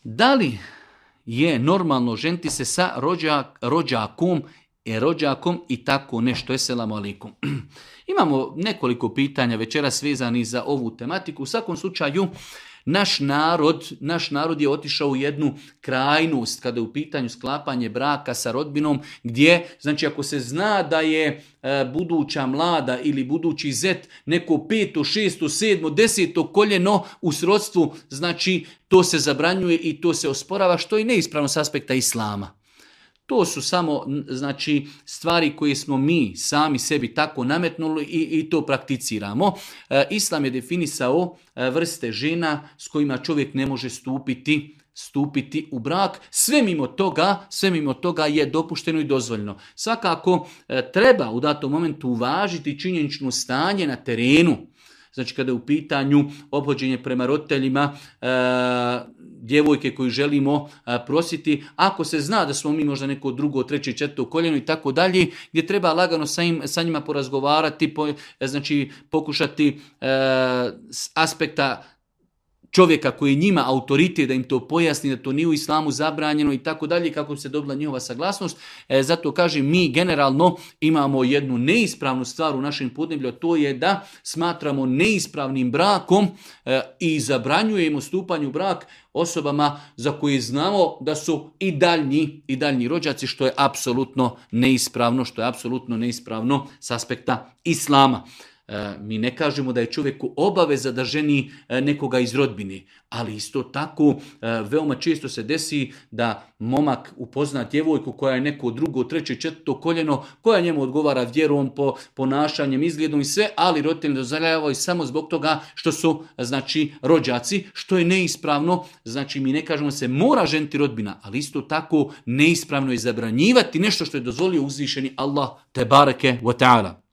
Da li je normalno ženiti se sa rođakom i tako nešto? Esselamu alaikum. Imamo nekoliko pitanja večeras vezanih za ovu tematiku. U svakom slučaju, naš narod je otišao u jednu krajnost kada je u pitanju sklapanje braka sa rodbinom, gdje, znači ako se zna da je buduća mlada ili budući zet neko 5., 6., 7., 10. koljeno u srodstvu, znači to se zabranjuje i to se osporava, što je neispravno s aspekta islama. To su samo, znači, stvari koje smo mi sami sebi tako nametnuli i to prakticiramo. Islam je definisao vrste žena s kojima čovjek ne može stupiti u brak. Sve mimo toga je dopušteno i dozvoljeno. Svakako treba u datom momentu uvažiti činjenično stanje na terenu. Znači kada je u pitanju ophođenje prema roditeljima, djevojke koju želimo prositi, ako se zna da smo mi možda neko drugo, 3., 4. koljeno i tako dalje, gdje treba lagano sa njima porazgovarati, znači pokušati s aspekta čovjeka koji je njima autoritet da im to pojasni, da to nije u islamu zabranjeno i tako dalje, kako bi se dobila njihova saglasnost. Zato kažem, mi generalno imamo jednu neispravnu stvar u našem podneblju, a to je da smatramo neispravnim brakom i zabranjujemo stupanje u brak osobama za koje znamo da su i daljnji rođaci, što je apsolutno neispravno s aspekta islama. Mi ne kažemo da je čovjeku obaveza da ženi nekoga iz rodbine, ali isto tako veoma često se desi da momak upozna djevojku koja je neko 2., 3., 4. koljeno, koja njemu odgovara vjerom, ponašanjem, izgledom i sve, ali roditelji ne dozvoljavaju samo zbog toga što su, znači, rođaci, što je neispravno. Znači, mi ne kažemo se mora ženiti rodbina, ali isto tako neispravno je zabranjivati nešto što je dozvolio uzvišeni Allah tebareke wa ta'ala.